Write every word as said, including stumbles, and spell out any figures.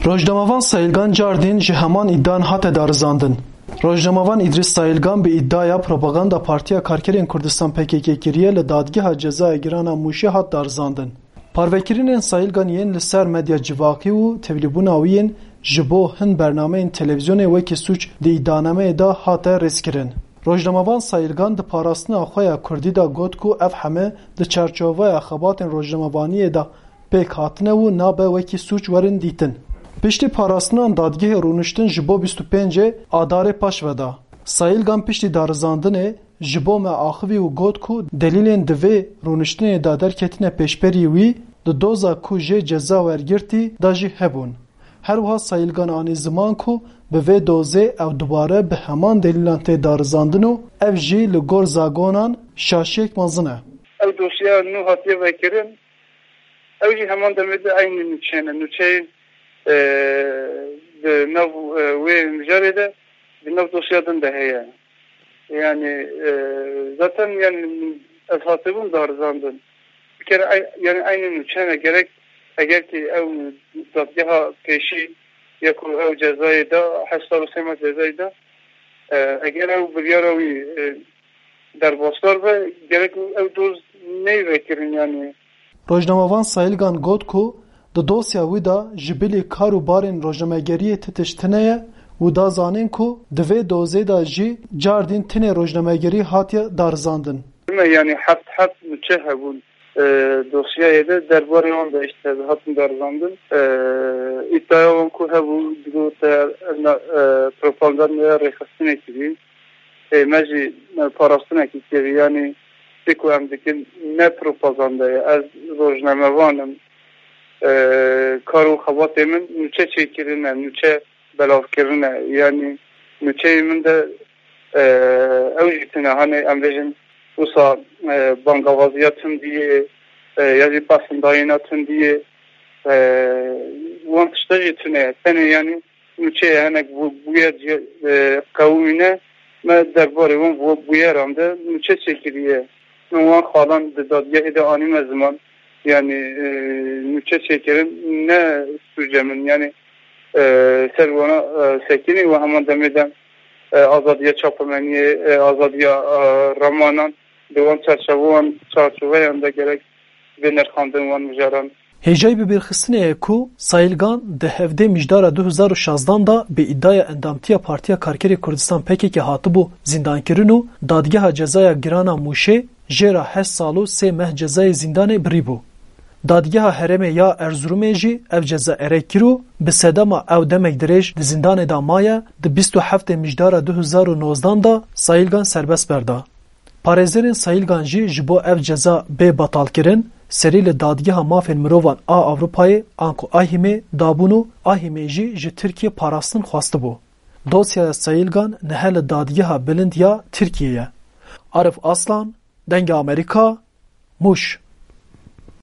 Rojnamevan Sayilgan cardîn ji heman îdian hate darizandin. Rojnamevan Îdrîs Sayilgan bi îdiaya propaganda Partiya Karkerên Kurdistan P K K kiriye li Dadgeha Cezaya Girana Mûşê hat darizandin. Parvekirinên Sayilgan yên li ser medya civakî û tevlîbûna wî yên ji bo hin bernameyên televîzyonê wekî sûc di îdianameyê de hate rêzkirin. Rojnamevan Sayilgan di parastina xwe ya kurdî de got ku ev heme di çarçoveya xebatên rojnamevaniyê de pêk hatine û nabe wekî sûc werin dîtin. Piştî parastinan dadgehê rûniştin ji bo bîst û pêncê Adarê paş ve da. Sayilgan piştî darizandinê ji bo me axivî û got ku delîlên di vê rûniştinê de derketine pêşberî wî di doza ku jê ceza wergirtî de jî hebûn. Her wiha Sayilgan anî ziman ku bi vê dozê ew dubare bi heman delîlan tê darizandin û ev jî li gor zagonan şaşiyek mezin e. Ew dosyeya nû hatiye vekirin, ew jî heman demê de eynî nûçeyê ne. Nûçeyê, e, di nav, e, wê mijarê de, di nav dosya din de heye. Yani, e, zaten yani ez hatibûm darizandin. Bir kere ey-, yani eynî nûçe ne gerek, eger ki ew dadgeha pêşî ya ku ew cezayê da, heşt sal û sê meh cezayê da, e, eger ew biryara wî, e, derbasdar be, gerek ew doz neyê vekirin yani. Rojnamevan Sayilgan got ku di dosya wî de ji bilî kar û barên rojnamegeriyê ti tişt tune ye û da zanîn ku di vê dozê de jî cardîn tinê rojnamegerî hatiye darizandin. Me yani heft heft nûçe hebûn, e, dosyayê de derbarê wan de işte hatin darizandin. E, îddiaya wan ku hebû, digote, e, propagandaya rêxistinê kirî. Ê, me jî, e, parastinekî kirî, yanî tê ku em dikin ne propaganda ye. Ez rojnamevan im. E, kar û xebatê min nûçe çêkirin e, nûçe belavkirin e. Yanî nûçeyê min de, e, ew jî tune, hanê em bêjin wisa, e, bangawaziya tundî yê, e, ya jî pesindayîna tundî yê, e, wan tişta jî tune ye. Tenê yanî nûçeyê hinek bû-, bûyer cih-, e, qewimîne, me derbarê wan bû-, bûyeran de nûçe çêkiriye. Min wan xalan di dadgehê de anîme ziman. Yanî, e, nûçe çêkirin ne sûce min. Yanî, e, ser wana, e, sekinî û heman demê de, e, azadiya çapemeniyê, e, azadiya, e, remanan di wan çarçevan, çarçoveyan de gerek bê nirxandin wan mijaran. Hêjayî bibîrxistinê ye ku Sayilgan di hevdê Mijdara du hezar û şazdan de bi îdiaya endamtiya Partiya Karkerê Kurdistan P K K hatibû zîndankirin û Dadgeha Cezaya Girana Mûşê jê re heşt sal û sê meh cezayê zîndanê birîbû. Dadgeha Herêmê ya Erzurumê jî ev ceza erê kir û bi sedema ew demek dirêj di zîndanê de maye, di bîst û heftê Mijdara du hezar û nozdan de Sayilgan serbest berda. Parêzerên Sayilgan jî ji bo ev ceza bê betalkirin, serî li Dadgeha Mafên Mirovan a Ewropayê anku AHİMê dabûn û AHÎMê jî ji Tirkiyê parastin xwestibû. Dosyaya Sayilgan niha li Dadgeha Bilind ya Tirkiyê ye. Arif Aslan, Dengê Amerîka, Mûş.